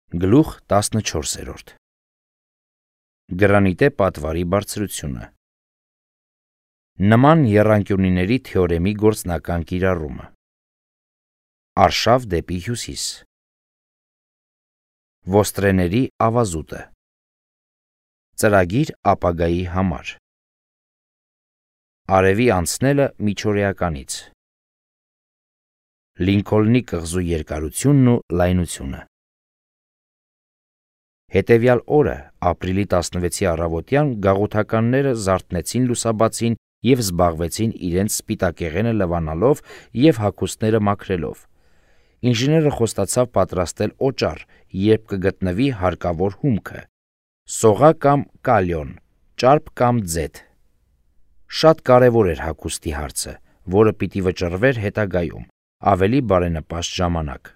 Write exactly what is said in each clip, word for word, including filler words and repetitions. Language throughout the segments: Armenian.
Գլուխ տասնչորսերորդ Գրանիտե պատվարի բարձրությունը Նման եռանկյունիների թեորեմի գործնական կիրառումը Արշավ դեպի հյուսիս Ոստրեների ավազուտը Ծրագիր ապագայի համար Արևի անցնելը միջօրեականից Լինքոլնի կղզու երկարությունն ու լայնությունը Հետևյալ օրը, ապրիլի տասնվեցի առավոտյան, գաղութականները զարթնեցին լուսաբացին և զբաղվեցին իրենց սպիտակեղենը լվանալով և հագուստները մաքրելով։ Ինժեները խոստացավ պատրաստել օճառ, երբ կգտնվի հարկավոր հումքը՝ սողա կամ կալիոն, ճարպ կամ ձեթ։ Շատ կարևոր էր հագուստի հարցը, որը պիտի վճռվեր հետագայում, ավելի բարենպաստ ժամանակ։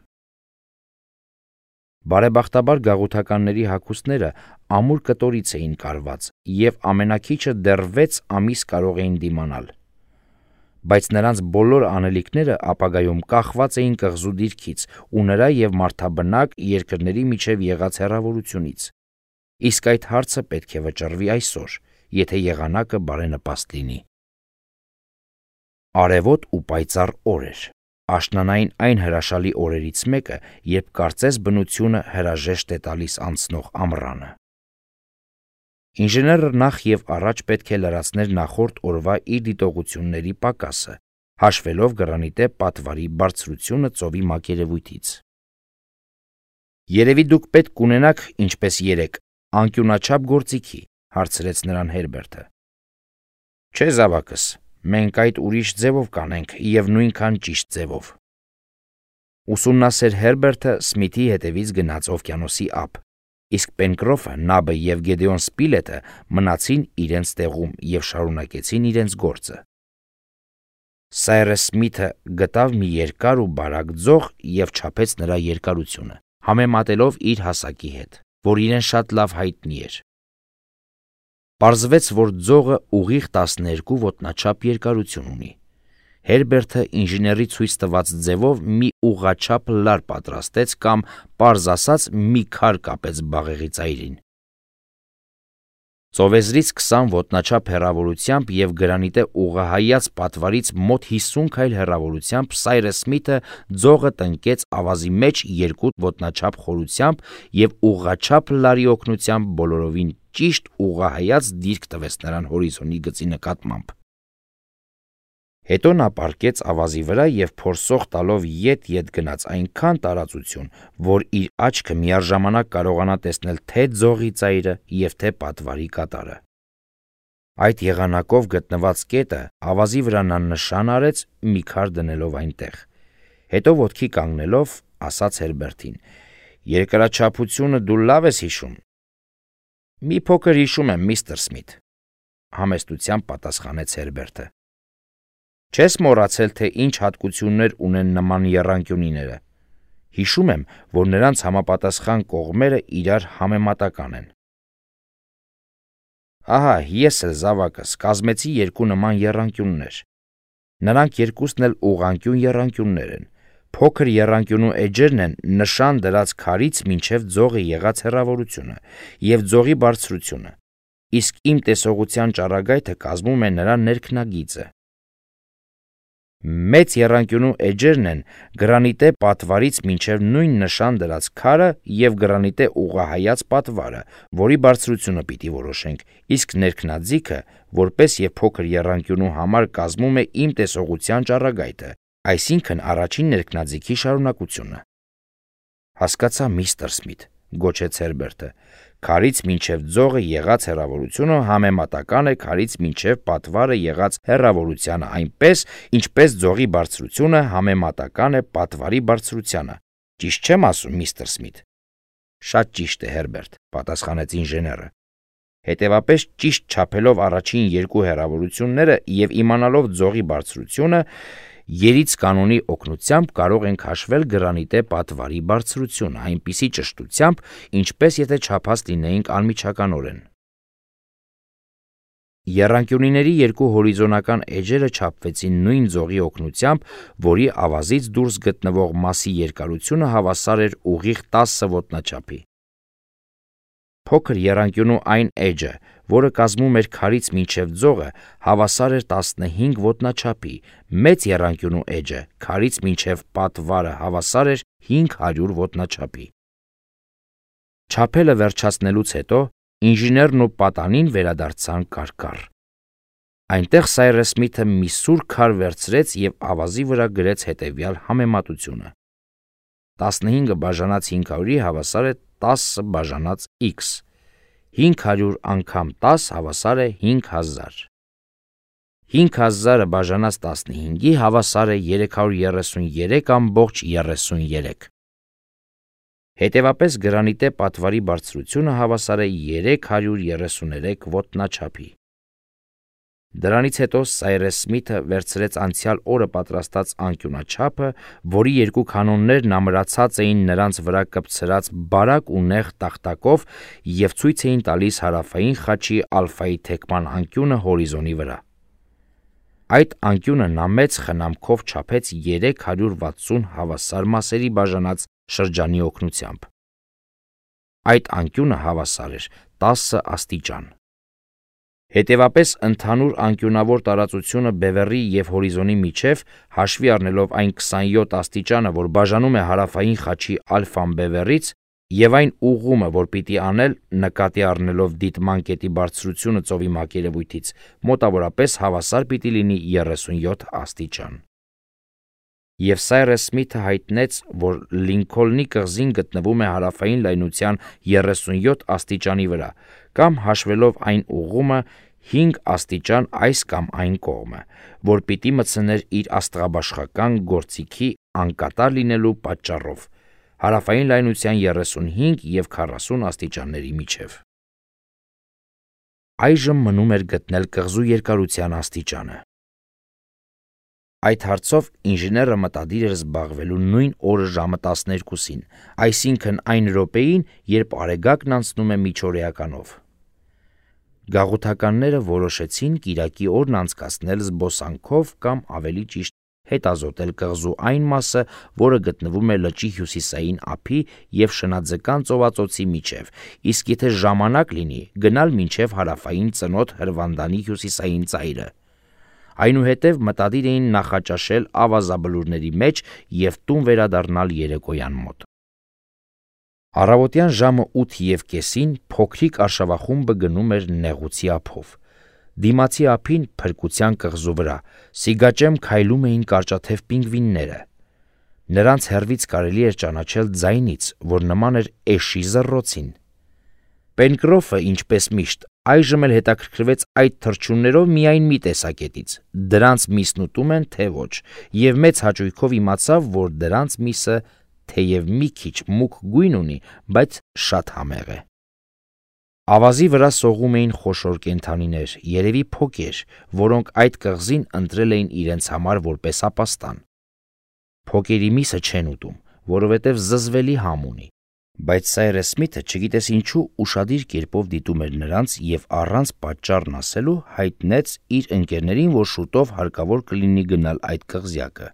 Բարեբախտաբար գաղութականների հագուստները ամուր կտորից էին կարված և ամենաքիչը դեռ վեց ամիս կարող էին դիմանալ։ Բայց նրանց բոլոր անելիքները ապագայում կախված էին կղզու դիրքից ու նրա և մարդաբնակ երկրների միջև եղած հեռավորությունից, իսկ այդ հարցը պետք է վճռվի այսօր, եթե եղանակը բարենպաստ լինի։ Արևոտ ու պայծառ օր էր, աշնանային այն հրաշալի օրերից մեկը, երբ կարծես բնությունը հրաժեշտ է տալիս անցնող ամռանը։ Ինժեները նախ և առաջ պետք է լրացներ նախորդ օրվա իր դիտողությունների պակասը, հաշվելով գրանիտե պատվարի բարձրությունը ծովի մակերևույթից։ Երևի դուք պետք կունենաք, ինչպես երեկ, անկյունաչափ գործիքի, հարցրեց նրան Հերբերտը։ Չէ, զավակս, մենք այդ ուրիշ ձևով կանենք և նույնքան ճիշտ ձևով։ Ուսումնասեր Հերբերտը Սմիթի հետևից գնաց օվկիանոսի ափ, իսկ Պենկրոֆը, Նաբը և Գեդեոն Սպիլետը մնացին իրենց տեղում և շարունակեցին իրենց գործը։ Սայրս Սմիթը գտավ մի երկար ու բարակ ձող և չափեց նրա երկարությունը, համեմատելով իր հասակի հետ, որ իրեն շատ լավ հայտնի էր։ Պարզվեց, որ ձողը ուղիղ տասներկու ոտնաչափ երկարություն ունի։ Հերբերտը ինժեների ցույց տված ձևով մի ուղղաչափ լար պատրաստեց կամ, պարզ ասած, մի քար կապեց բաղեղի ծայրին։ Ծովեզրից քսան ոտնաչափ հեռավորությամբ և գրանիտե ուղղահայաց պատվարից մոտ հիսուն քայլ հեռավորությամբ Սայրս Սմիթը ձողը տնկեց ավազի մեջ երկու ոտնաչափ խորությամբ և ուղղաչափ լարի օգնությամբ բոլորովին ճիշտ ուղղահայաց դիրք տվեց նրան հորիզոնի գծի նկատմամբ։ Հետո նա պառկեց ավազի վրա և փորձող տալով ետ-ետ գնաց այնքան տարածություն, որ իր աչքը միառժամանակ կարողանա տեսնել թե ձողի ծայրը և թե պատվարի կատարը։ Այդ եղանակով գտնված կետը ավազի վրա նա նշան արեց, մի քար դնելով այնտեղ։ Հետո ոտքի կանգնելով, ասաց Հերբերտին. «Երկրաչափությունը դու լավ ես հիշում»։ Մի փոքր հիշում եմ, միստր Սմիթ, համեստությամբ պատասխանեց Հերբերտը։ Չես մոռացել, թե ինչ հատկություններ ունեն նման եռանկյունիները։ Հիշում եմ, որ նրանց համապատասխան կողմերը իրար համեմատական են։ Ահա, ես էլ, զավակս, կազմեցի երկու նման եռանկյուններ։ Նրանք երկուսն էլ ուղղանկյուն եռանկյուններ են։ Փոքր եռանկյունու էջերն են նշան դրած քարից մինչև ձողը եղած հեռավորությունը և ձողի բարձրությունը, իսկ իմ տեսողության ճառագայթը կազմում է նրա ներքնագիծը։ Մեծ եռանկյունու էջերն են գրանիտե պատվարից մինչև նույն նշան դրած քարը և գրանիտե ուղղահայաց պատվարը, որի բարձրությունը պիտի որոշենք, իսկ ներքնաձիգը, որպես և փոքր եռանկյունու համար կազմում է իմ տեսողության ճառագայթը, այսինքն առաջին ներքնաձիգի շարունակությունը։ Հասկացա, միստր Սմիթ, գոչեց Հերբերտը, քարից մինչև ձողը եղած հեռավորությունը համեմատական է քարից մինչև պատվարը եղած հեռավորությանը այնպես, ինչպես ձողի բարձրությունը համեմատական է պատվարի բարձրությանը։ Ճիշտ չեմ ասում, միստր Սմիթ։ Շատ ճիշտ է, Հերբերտ, պատասխանեց ինժեները։ Հետևապես ճիշտ չափելով առաջին երկու հեռավորությունները և իմանալով ձողի բարձրությունը, երից կանոնի օգնությամբ կարող ենք հաշվել գրանիտե պատվարի բարձրությունը այնպիսի ճշտությամբ, ինչպես եթե չափած լինեինք անմիջականորեն։ Եռանկյունիների երկու հորիզոնական էջերը չափվեցին նույն ձողի օգնությամբ, որի ավազից դուրս գտնվող մասի երկարությունը հավասար էր ուղիղ տասը ոտնաչափի։ Փոքր եռանկյունու այն էջը, որը կազմում էր քարից մինչև ձողը, հավասար էր տասնհինգ ոտնաչափի, մեծ եռանկյունու էջը քարից մինչև պատվարը հավասար էր հինգ հարյուր ոտնաչափի։ Չափելը վերջացնելուց հետո ինժեներն ու պատանին վերադարձան կարկառ։ Այնտեղ Սայրս Սմիթը մի սուր քար վերցրեց և ավազի վրա գրեց հետևյալ համեմատությունը. տասնհինգը բաժանած հինգ հարյուրի հավասար է տասը բաժանած x, հինգ հարյուր անգամ տաս հավասար է հինգ հազար, հինգ հազարը բաժանած տասնհինգի հավասար է երեք հարյուր երեսունյերեք ամբողջ երեսունյերեք։ Հետևապես գրանիտե պատվարի բարձրությունը հավասար է երեք հարյուր երեսուներեք ոտնաչափի։ Դրանից հետո Սայրս Սմիթը վերցրեց անցյալ օրը պատրաստած անկյունաչափը, որի երկու կանոններն ամրացած էին նրանց վրա կպցրած բարակ ու նեղ տախտակով և ցույց էին տալիս հարավային խաչի ալֆայի թեքման անկյունը հորիզոնի վրա։ Այդ անկյունը նա մեծ խնամքով չափեց երեք հարյուր վաթսուն հավասար մասերի բաժանած շրջանի օգնությամբ։ Այդ անկյունը հավասար էր տասը աստիճան։ Հետևապես ընդհանուր անկյունավոր տարածությունը բևեռի և հորիզոնի միջև, հաշվի առնելով այն քսանյոթ աստիճանը, որ բաժանում է հարավային խաչի ալֆան բևեռից, և այն ուղղումը, որ պիտի անել, նկատի առնելով դիտման կետի բարձրությունը ծովի մակերևույթից, մոտավորապես հավասար պիտի լինի երեսունյոթ աստիճան։ Եվ Սայրս Սմիթը հայտնեց, որ Լինքոլնի կղզին գտնվում է հարավային լայնության երեսունյոթ աստիճանի վրա, կամ հաշվելով այն ուղղումը հինգ աստիճան այս կամ այն կողմը, որ պիտի մտցներ իր աստղաբաշխական գործիքի անկատար լինելու պատճառով հարավային լայնության երեսունհինգ և քառասուն աստիճանների միջև։ Այժմ մնում էր գտնել կղզու երկարության աստիճանը։ Այդ հարցով ինժեները մտադիր էր զբաղվելու նույն օրը ժամը տասներկուսին, այսինքն այն րոպեին, երբ Արեգակն անցնում է միջօրեականով։ Գաղութականները որոշեցին կիրակի օրն անցկացնել զբոսանքով կամ ավելի ճիշտ հետազոտել կղզու այն մասը, որը գտնվում է լճի հյուսիսային ափի և Շնաձկան ծովածոցի միջև, իսկ եթե ժամանակ լինի, գնալ մինչև հարավային ծնոտ Հրվանդանի հյուսիսային ծայրը։ Այնուհետև մտադիր էին նախաճաշել ավազաբլուրների մեջ և տուն վերադառնալ երեկոյան մոտ։ Առավոտյան ժամը ութ և կեսին փոքրիկ արշավախումբը գնում էր Նեղուցի ափով։ Դիմացի ափին, փրկության կղզու վրա, սիգաճեմ քայլում էին կարճաթև պինգվինները։ Նրանց հեռվից կարելի էր ճանաչել ձայնից, որ նման էր էշի զռռոցին։ Պենկրոֆը, ինչպես միշտ, այժմ էլ հետաքրքրվեց այդ թռչուններով միայն մի տեսակետից՝ դրանց միսն ուտում են, թե ոչ, և մեծ հաճույքով իմացավ, որ դրանց միսը թեև մի քիչ մուգ գույն ունի, բայց շատ համեղ է։ Ավազի վրա սողում էին խոշոր կենդանիներ, երևի փոկեր, որոնք այդ կղզին ընտրել էին իրենց համար որպես ապաստան։ Փոկերի միսը չեն ուտում, որովհետև զզվելի համ ունի, բայց Սայրս Սմիթը, չգիտես ինչու, ուշադիր կերպով դիտում էր նրանց և առանց պատճառն ասելու հայտնեց իր ընկերներին, որ շուտով հարկավոր կլինի գնալ այդ կղզյակը։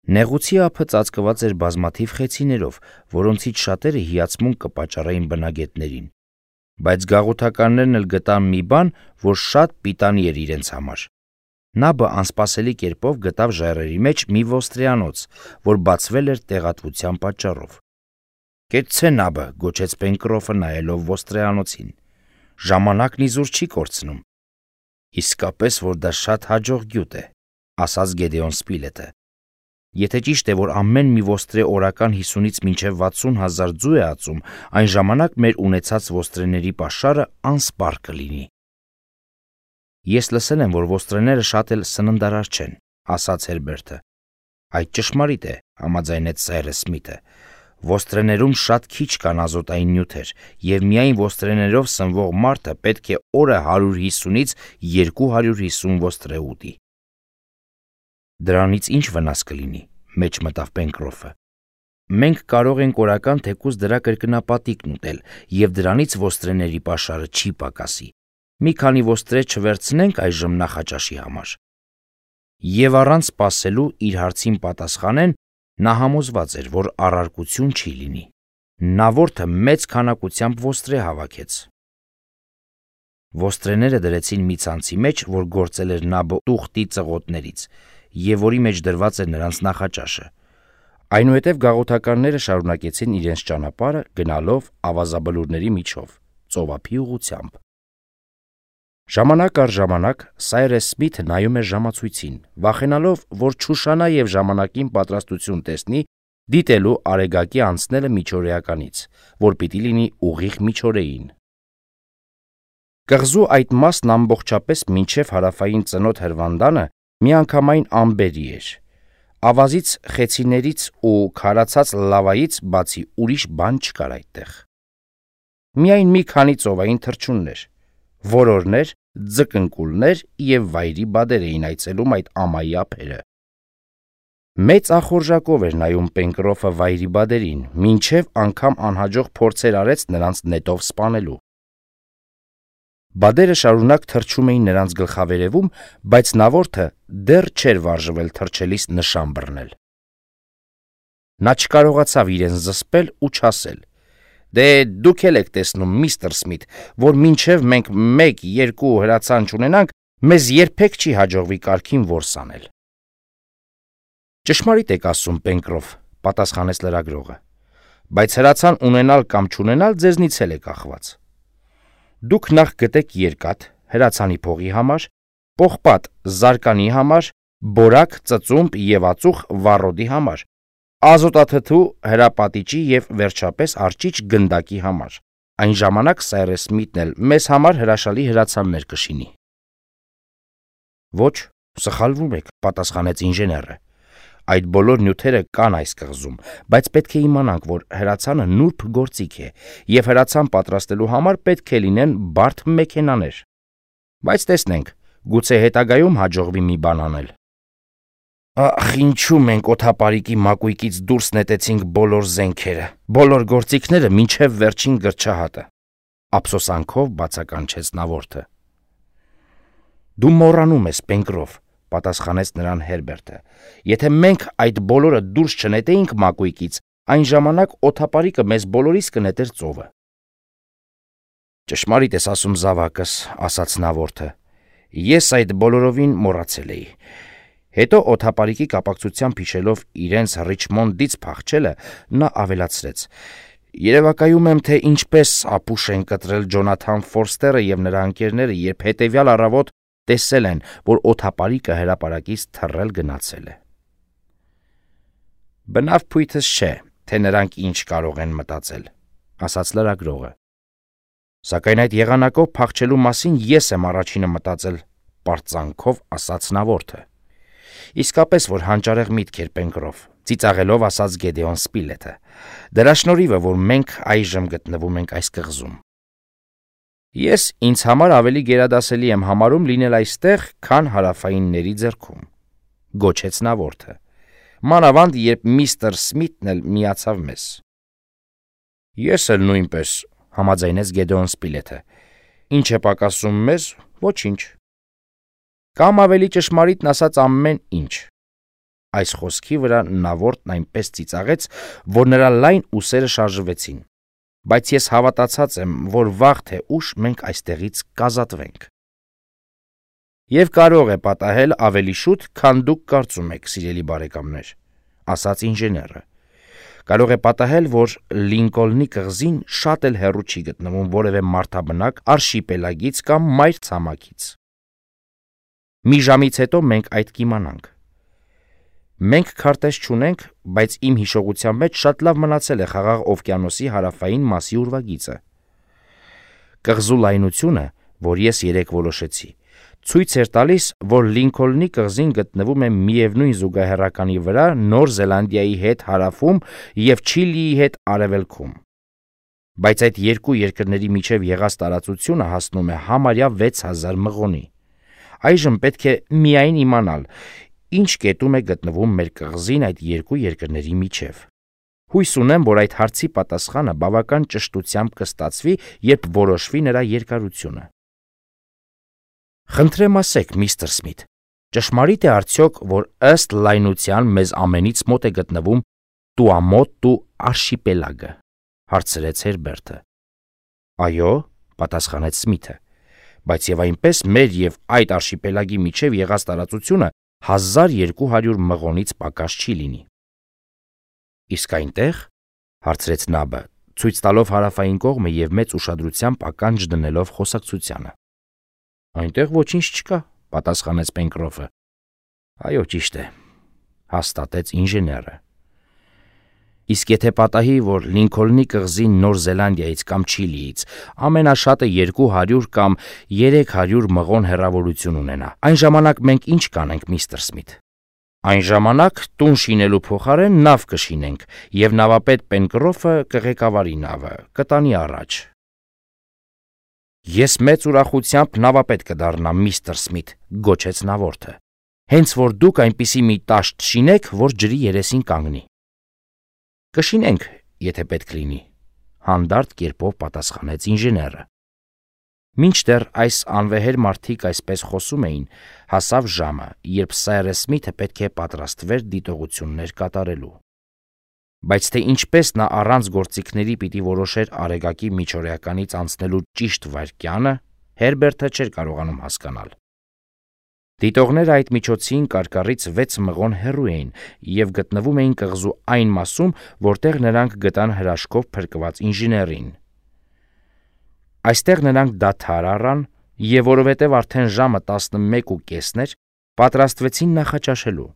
Նեղուցի ափը ծածկված էր բազմաթիվ խեցիներով, որոնցից շատերը հիացմունք կպատճառեին բնագետներին, բայց գաղութականներն էլ գտան մի բան, որ շատ պիտանի էր իրենց համար։ Նաբը անսպասելի կերպով գտավ ժայռերի մեջ մի ոստրեանոց, որ բացվել էր տեղատվության պատճառով։ «Կեցցե Նաբը», գոչեց Պենկրոֆը նայելով ոստրեանոցին, «ժամանակն իզուր չի կորցնում»։ «Իսկապես, որ դա շատ հաջող գյուտ է», ասաց Գեդեոն Սպիլետը։ «Եթե ճիշտ է, որ ամեն մի ոստրե օրական հիսունից մինչև վաթսուն հազար ձու է ածում, այն ժամանակ մեր ունեցած ոստրեների պաշարը անսպառ կլինի»։ «Ես լսել եմ, որ ոստրեները շատ էլ սննդարար չեն», ասաց Հերբերտը։ «Այդ ճշմարիտ է», համաձայնեց Սայրս Սմիթը։ «Ոստրեներում շատ քիչ կան ազոտային նյութեր, և միայն ոստրեներով սնվող մարդը պետք է օրը հարյուր հիսունից երկու հարյուր հիսուն ոստրե ուտի»։ «Դրանից ի՞նչ վնաս կլինի», մեջ մտավ Պենկրոֆը։ «Մենք կարող ենք օրական թեկուզ դրա կրկնապատիկն ուտել, և դրանից ոստրեների պաշարը չի պակասի», Մի քանի ոստրե չվերցնենք այժմ նախաճաշի համար։ Եվ առանց սպասելու իր հարցին պատասխանեն, նա համոզված էր, որ առարկություն չի լինի։ Նավորդը մեծ քանակությամբ ոստրե հավաքեց։ Ոստրեները դրեցին մի ցանցի մեջ, որ գործել էր Նաբո տուղտի ծղոտներից, և որի մեջ դրված էր նրանց նախաճաշը։ Այնուհետև գաղութականները շարունակեցին իրենց ճանապարհը, գնալով ավազաբլուրների միջով, ծովափի ուղղությամբ։ Ժամանակ առ ժամանակ Սայրես Սմիթը նայում էր ժամացույցին, վախենալով, որ չուշանա և ժամանակին պատրաստություն տեսնի դիտելու Արեգակի անցնելը միջօրեականից, որ պիտի լինի ուղիղ միջօրեին։ Կղզու այդ մասն ամբողջապես մինչև հարավային ծնոտ հրվանդանը միանգամայն ամբերի էր։ Ավազից, խեցիներից ու քարացած լավայից բացի ուրիշ բան չկար այդտեղ։ Միայն մի քանի ծովային թռչուններ, որորներ, ձկնկուլներ և վայրի բադեր էին այցելում այդ ամայի ափերը։ Մեծ ախորժակով էր նայում Պենկրոֆը վայրի բադերին, մինչև անգամ անհաջող փորձեր արեց նրանց նետով սպանելու։ Բադերը շարունակ թռչում էին նրանց գլխավերևում, բայց նավորդը դեռ չէր վարժվել թռչելիս նշան բռնել։ Նա չկարողացավ իրեն զսպել ու չասել. «Դե դուք էլ եք տեսնում, միստր Սմիթ, որ մինչև մենք մեկ երկու հրացան չունենանք, մեզ երբեք չի հաջողվի կարգին որս անել»։ «Ճշմարիտ եք ասում, Պենկրոֆ», պատասխանեց լրագրողը, «բայց հրացան ունենալ կամ չունենալ ձեզնից էլ է կախված։ Դուք նախ գտեք երկաթ հրացանի փողի համար, պողպատ զարկանի համար, բորակ, ծծումբ և ածուխ վառոդի համար, ազոտաթթու, հրապատիճի և վերջապես արջիչ գնդակի համար։ Այն ժամանակ Սայրես Սմիթն էլ մեզ համար հրաշալի հրացաններ կշինի»։ «Ոչ, սխալվում եք», պատասխանեց ինժեները։ «Այդ բոլոր նյութերը կան այս կղզում, բայց պետք է իմանանք, որ հրացանը նուրբ գործիք է, և հրացան պատրաստելու համար պետք է լինեն բարդ մեքենաներ։ Բայց տեսնենք, գուցե հետագայում հաջողվի մի բան անել»։ «Ախ, ինչու մենք օդապարիկի մակույկից դուրս նետեցինք բոլոր զենքերը, բոլոր գործիքները մինչև վերջին գրչահատը», ափսոսանքով բացականչեց նավորդը։ «Դու մոռանում ես, Պենկրոֆ», պատասխանեց նրան Հերբերտը, «եթե մենք այդ բոլորը դուրս չնետեինք մակույկից, այն ժամանակ օդապարիկը մեզ բոլորիս կնետեր ծովը»։ «Ճշմարիտ ես ասում, զավակս», ասաց նավորդը, «ես այդ բոլորովին մոռացել էի»։ Հետո օդապարիկի կապակցությամբ հիշելով իրենց Ռիչմոնդից փախչելը, նա ավելացրեց. «Երևակայում եմ, թե ինչպես ապուշ են կտրել Ջոնաթան Ֆորստերը և նրա ընկերները, երբ հետևյալ առավոտ տեսել են, որ օդապարիկը հրապարակից թռել գնացել է»։ «Բնավ փույթս չէ, թե նրանք ինչ կարող են մտածել», ասաց լրագրողը։ «Սակայն այդ եղանակով փախչելու մասին ես եմ առաջինը մտածել», պարծանքով ասաց նավորդը։ «Իսկապես որ հանճարեղ միտք էր, Պենկրոֆ», ծիծաղելով ասաց Գեդեոն Սպիլեթը։ «Դրա շնորհիվ է, որ մենք այժմ գտնվում ենք այս կղզում»։ «Ես ինձ համար ավելի գերադասելի եմ համարում լինել այստեղ, քան հարավայինների ձեռքում», գոչեց նավորդը, «մանավանդ երբ միստր Սմիթն էլ միացավ մեզ»։ «Ես էլ նույնպես», համաձայնեց Գեդեոն Սպիլեթը։ «Ինչ է պակասում մեզ, ոչինչ։ Կամ ավելի ճշմարիտն ասած ամեն ինչ»։ Այս խոսքի վրա նավորդն այնպես ծիծաղեց, որ նրա լայն ուսերը շարժվեցին։ «Բայց ես հավատացած եմ, որ վաղ թե ուշ մենք այստեղից կազատվենք»։ «Եվ կարող է պատահել ավելի շուտ, քան դուք կարծում եք, սիրելի բարեկամներ», ասաց ինժեները։ «Կարող է պատահել, որ Լինկոլնի կղզին շատ էլ հեռու չի գտնվում որևէ մարդաբնակ արշիպելագից կամ մայրցամաքից։ Մի ժամից հետո մենք այդ կիմանանք։ Մենք քարտեզ չունենք, բայց իմ հիշողության մեջ շատ լավ մնացել է Խաղաղ օվկիանոսի հարավային մասի ուրվագիծը։ Կղզու լայնությունը, որ ես երեկ որոշեցի, ցույց էր տալիս, որ Լինքոլնի կղզին գտնվում է միևնույն զուգահեռականի վրա Նոր Զելանդիայի հետ հարավում և Չիլիի հետ արևելքում։ Բայց այդ երկու երկրների միջև եղած տարածությունը հասնում է համարյա վեց հազար մղոնի։ Այժմ պետք է միայն իմանալ, ինչ կետում է գտնվում մեր կղզին այդ երկու երկրների միջև։ Հույս ունեմ, որ այդ հարցի պատասխանը բավական ճշտությամբ կստացվի, երբ որոշվի նրա երկարությունը։ Խնդրեմ ասեք, միստր Սմիթ, ճշմարիտ է արդյոք, որ ըստ լայնության մեզ ամենից մոտ է գտնվում Տուամոտու արշիպելագը, հարցրեց Հերբերտը։ Այո, պատասխանեց Սմիթը, բայց եւ այնպես մեր եւ այդ արշիպելագի միջև եղած տարածությունը հազար երկու հարյուր մղոնից պակաս չի լինի։ Իսկ այնտեղ, հարցրեց Նաբը, ցույց տալով հարավային կողմը եւ մեծ ուշադրությամբ ականջ դնելով խոսակցությանը։ Այնտեղ ոչինչ չկա, պատասխանեց Պենկրոֆը։ Այո, ճիշտ է, հաստատեց ինժեները։ Իսկ եթե պատահի, որ Լինքոլնի կղզին Նոր Զելանդիայից կամ Չիլիից ամենաշատը երկու հարյուր կամ երեք հարյուր մղոն հեռավորություն ունենա, այն ժամանակ մենք ինչ կանենք, միստր Սմիթ։ Այն ժամանակ տուն շինելու փոխարեն նավ կշինենք, եւ նավապետ Պենկրոֆը կղեկավարի նավը, կտանի առաջ։ Ես մեծ ուրախությամբ նավապետ կդառնամ, միստր Սմիթ, գոչեց նավորդը։ Հենց որ դուք այնպիսի մի տաշտ շինեք, որ ջրի երեսին կանգնի։ Կշինենք, եթե պետք լինի, հանդարտ կերպով պատասխանեց ինժեները։ Մինչդեռ այս անվեհեր մարդիկ այսպես խոսում էին, հասավ ժամը, երբ Սայրես Սմիթը պետք է պատրաստվեր դիտողություններ կատարելու։ Բայց թե ինչպես նա առանց գործիքների պիտի որոշեր Արեգակի միջօրեականից անցնելու ճիշտ վայրկյանը, Հերբերտը չէր կարողանում հասկանալ։ Դիտողները այդ միջոցին կարկառից վեց մղոն հեռու էին եւ գտնվում էին կղզու այն մասում, որտեղ նրանք գտան հրաշքով փրկված ինժեներին։ Այստեղ նրանք դադար առան եւ որովհետեւ արդեն ժամը տասնմեկ ու կեսն էր, պատրաստվեցին նախաճաշելու։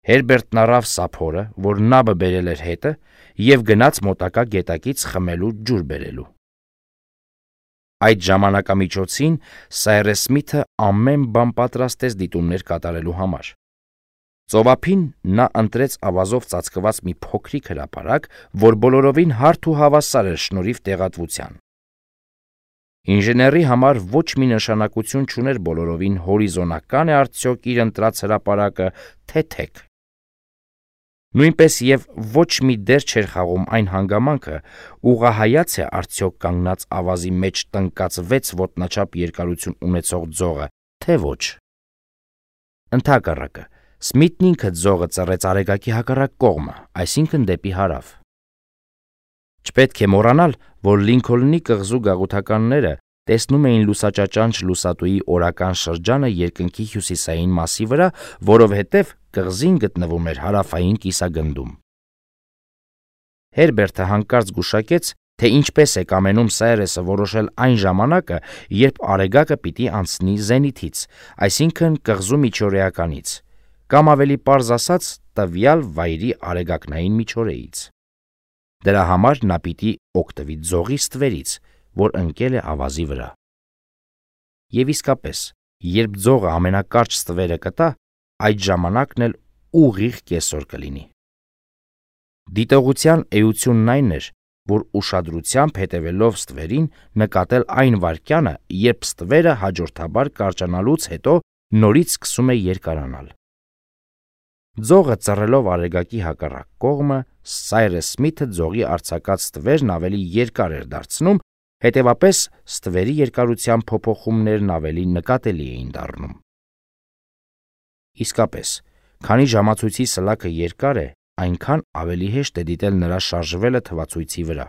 Հերբերտն առավ սափորը, որ նաբը բերել էր հետը, եւ գնաց մոտակա գետակից խմելու ջուր բերելու։ Այդ ժամանակամիջոցին Սայրես Սմիթը ամեն բան պատրաստեց դիտումներ կատարելու համար։ Ծովափին նա ընտրեց ավազով ծածկված մի փոքրիկ հրապարակ, որ բոլորովին հարթ ու հավասար էր շնորհիվ տեղատվության։ Ինժեների համար ոչ մի նշանակություն չուներ բոլորովին հորիզոնական է արդյոք իր ընտրած հրապարակը, թե թեք։ Նույնպես եւ ոչ մի դեր չէր խաղում այն հանգամանքը, ուղղահայաց է արդյոք կանգնած ավազի մեջ տնկած վեց ոտնաչափ երկարություն ունեցող ձողը, թե ոչ։ Ընդհակառակը, Սմիթն ինքը ձողը ծռեց Արեգակի հակառակ կողմը, այսինքն դեպի հարավ։ Չպետք է մոռանալ, որ Լինքոլնի կղզու գաղութականները տեսնում էին լուսաճաճանչ լուսատուի օրական շրջանը երկնքի հյուսիսային մասի վրա, որովհետև կղզին գտնվում էր հարավային կիսագնդում։ Հերբերտը հանկարծ գուշակեց, թե ինչպես է կամենում Սայրեսը որոշել այն ժամանակը, երբ Արեգակը պիտի անցնի զենիթից, այսինքն կղզու միջօրեականից, կամ ավելի պարզ ասած, տվյալ վայրի արեգակնային միջօրեից։ Դրա համար նա պիտի օգտվի ձողի ստվերից, որ ընկել է ավազի վրա։ Եվ իսկապես, երբ ձողը ամենակարճ ստվերը կտա, այդ ժամանակն էլ ուղիղ կեսօր կլինի։ Դիտողության էությունն այն էր, որ ուշադրությամբ հետևելով ստվերին նկատել այն վայրկյանը, երբ ստվերը հաջորդաբար կարճանալուց հետո նորից սկսում է երկարանալ։ Ձողը ծռելով Արեգակի հակառակ կողմը, Սայրես Սմիթը ձողի արձակած ստվերն ավելի երկար էր դարձնում, հետևապես ստվերի երկարության փոփոխումներն ավելի նկատելի էին դառնում։ Իսկապես, քանի ժամացույցի սլաքը երկար է, այնքան ավելի հեշտ է դիտել նրա շարժվելը թվացույցի վրա։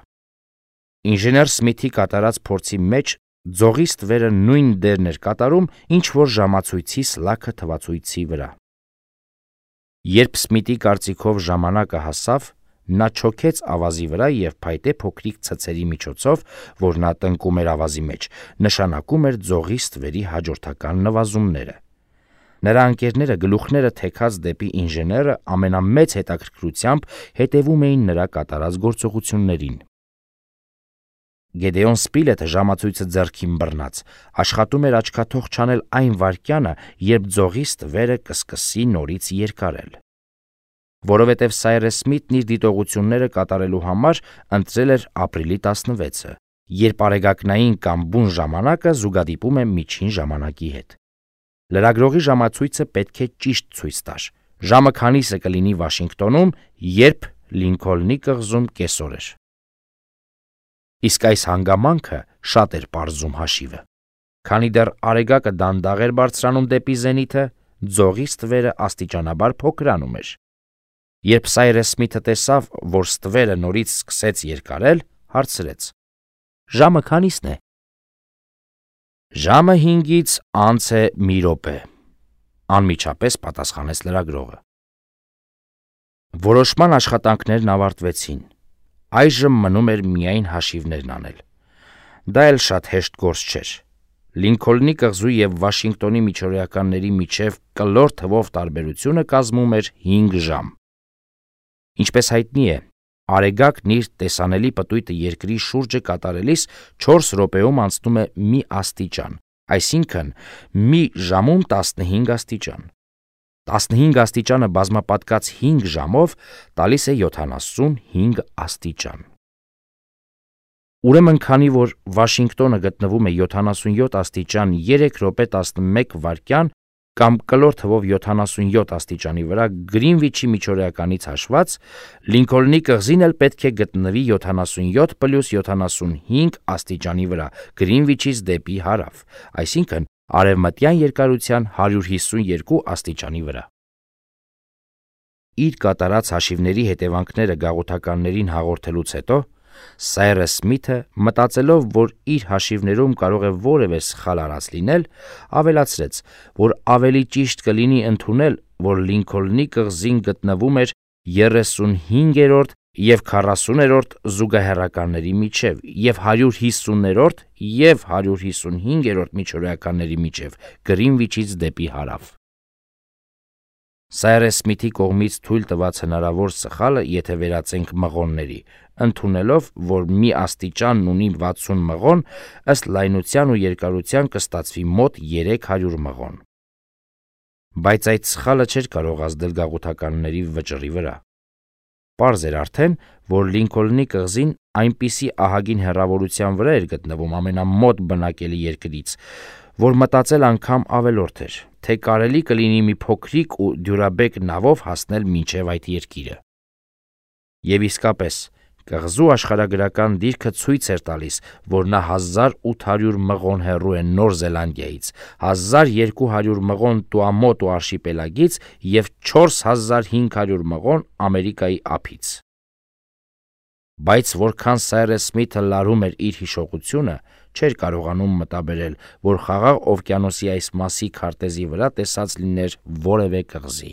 Ինժեներ Սմիթի կատարած փորձի մեջ ձողի ստվերը նույն դերն էր կատարում, ինչ որ ժամացույցի սլաքը թվացույցի վրա։ Երբ Սմիթի կարծիքով ժամանակը հասավ, նա չոքեց ավազի վրա եւ փայտե փոքրիկ ցցերի միջոցով, որ նա տնկում էր ավազի մեջ, նշանակում էր ձողի ստվերի հաջորդական նվազումները։ Նրա ընկերները գլուխները թեքած դեպի ինժեները ամենամեծ հետաքրքրությամբ հետևում էին նրա կատարած գործողություններին։ Գեդեոն Սպիլետը ժամացույցը ձեռքին բռնած, աշխատում էր աչքաթող չանել այն վայրկյանը, երբ ձողի ստվերը կսկսի նորից երկարել։ Որովհետև Սայրես Սմիթն իր դիտողությունները կատարելու համար ընտրել էր ապրիլի տասնվեցը, երբ արեգակնային կամ բուն ժամանակը զուգադիպում է միջին ժամանակի հետ։ Լրագրողի ժամացույցը պետք է ճիշտ ցույց տար։ Ժամը քանիսը կլինի Վաշինգտոնում, երբ Լինքոլնի կղզում կեսօր էր։ Իսկ այս հանգամանքը շատ էր պարզում հաշիվը։ Քանի դեռ Արեգակը դանդաղ էր բարձրանում դեպի զենիթը, ձողի ստվերը աստիճանաբար փոքրանում էր։ Երբ Սայրես Սմիթը տեսավ, որ ստվերը նորից սկսեց երկարել, հարցրեց. «Ժամը քանիսն է»։ «Ժամը հինգից անց է մի րոպե», անմիջապես պատասխանեց լրագրողը։ Որոշման աշխատանքներն ավարտվեցին։ Այժմ մնում էր միայն հաշիվներն անել։ Դա էլ շատ հեշտ գործ չէր։ Լինքոլնի կղզու եւ Վաշինգտոնի միջօրեականների միջև կլոր թվով տարբերությունը կազմում էր հինգ ժամ։ Ինչպես հայտնի է, Արեգակն իր տեսանելի պտույտը երկրի շուրջը կատարելիս չորս րոպեում անցնում է մի աստիճան, այսինքն մի ժամում տասնհինգ աստիճան։ տասնհինգ աստիճանը բազմապատկած հինգ ժամով տալիս է յոթանասունհինգ աստիճան։ Ուրեմն, քանի որ Վաշինգտոնը գտնվում է յոթանասունյոթ աստիճան երեք րոպե տասնմեկ վայրկյան կամ կլոր թվով յոթանասունյոթ աստիճանի վրա Գրինվիչի միջօրեականից հաշված, Լինքոլնի կղզին էլ պետք է գտնվի յոթանասունյոթ պլյուս յոթանասունհինգ աստիճանի վրա Գրինվիչից դեպի հարավ, այսինքն արևմտյան երկարության հարյուր հիսունյոթ աստիճանի վրա։ Իր կատարած հաշիվների հետևանքները գաղութականներին հաղորդելուց հետո Սայրես Սմիթը, մտածելով, որ իր հաշիվներում կարող է որևէ սխալ արած լինել, ավելացրեց, որ ավելի ճիշտ կլինի ընդունել, որ Լինքոլնի կղզին գտնվում էր երեսունհինգերորդ և քառասուներորդ զուգահեռականների միջև և հարյուր հիսուներորդ և հարյուր հիսունհինգերորդ միջօրեականների միջև Գրինվիչից դեպի հարավ։ Սայրես Սմիթի կողմից թույլ տված հնարավոր սխալը, եթե վերածենք մղոնների, ընդունելով, որ մի աստիճանն ունի վաթսուն մղոն, ըստ լայնության ու երկարության կստացվի մոտ երեք հարյուր մղոն։ Բայց այդ սխալը չէր կարող ազդել գաղութականների վճռի վրա։ Պարզ էր արդեն, որ Լինքոլնի կղզին այնպիսի ահագին հեռավորության վրա էր գտնվում ամենամոտ բնակելի երկրից, որ մտածել անգամ ավելորդ էր, թե կարելի կլինի մի փոքրիկ ու դյուրաբեկ նավով հասնել մինչև այդ երկիրը։ Եվ իսկապես, կղզու աշխարհագրական դիրքը ցույց էր տալիս, որ նա հազար ութ հարյուր մղոն հեռու է Նոր Զելանդիայից, հազար երկու հարյուր մղոն Տուամոտու արշիպելագից և չորս հազար հինգ հարյուր մղոն Ամերիկայի ափից։ Բայց որքան Սայրես Սմիթը լարում էր իր հիշողությունը, չէր կարողանում մտաբերել, որ Խաղաղ օվկիանոսի այս մասի քարտեզի վրա տեսած լիներ որևէ կղզի։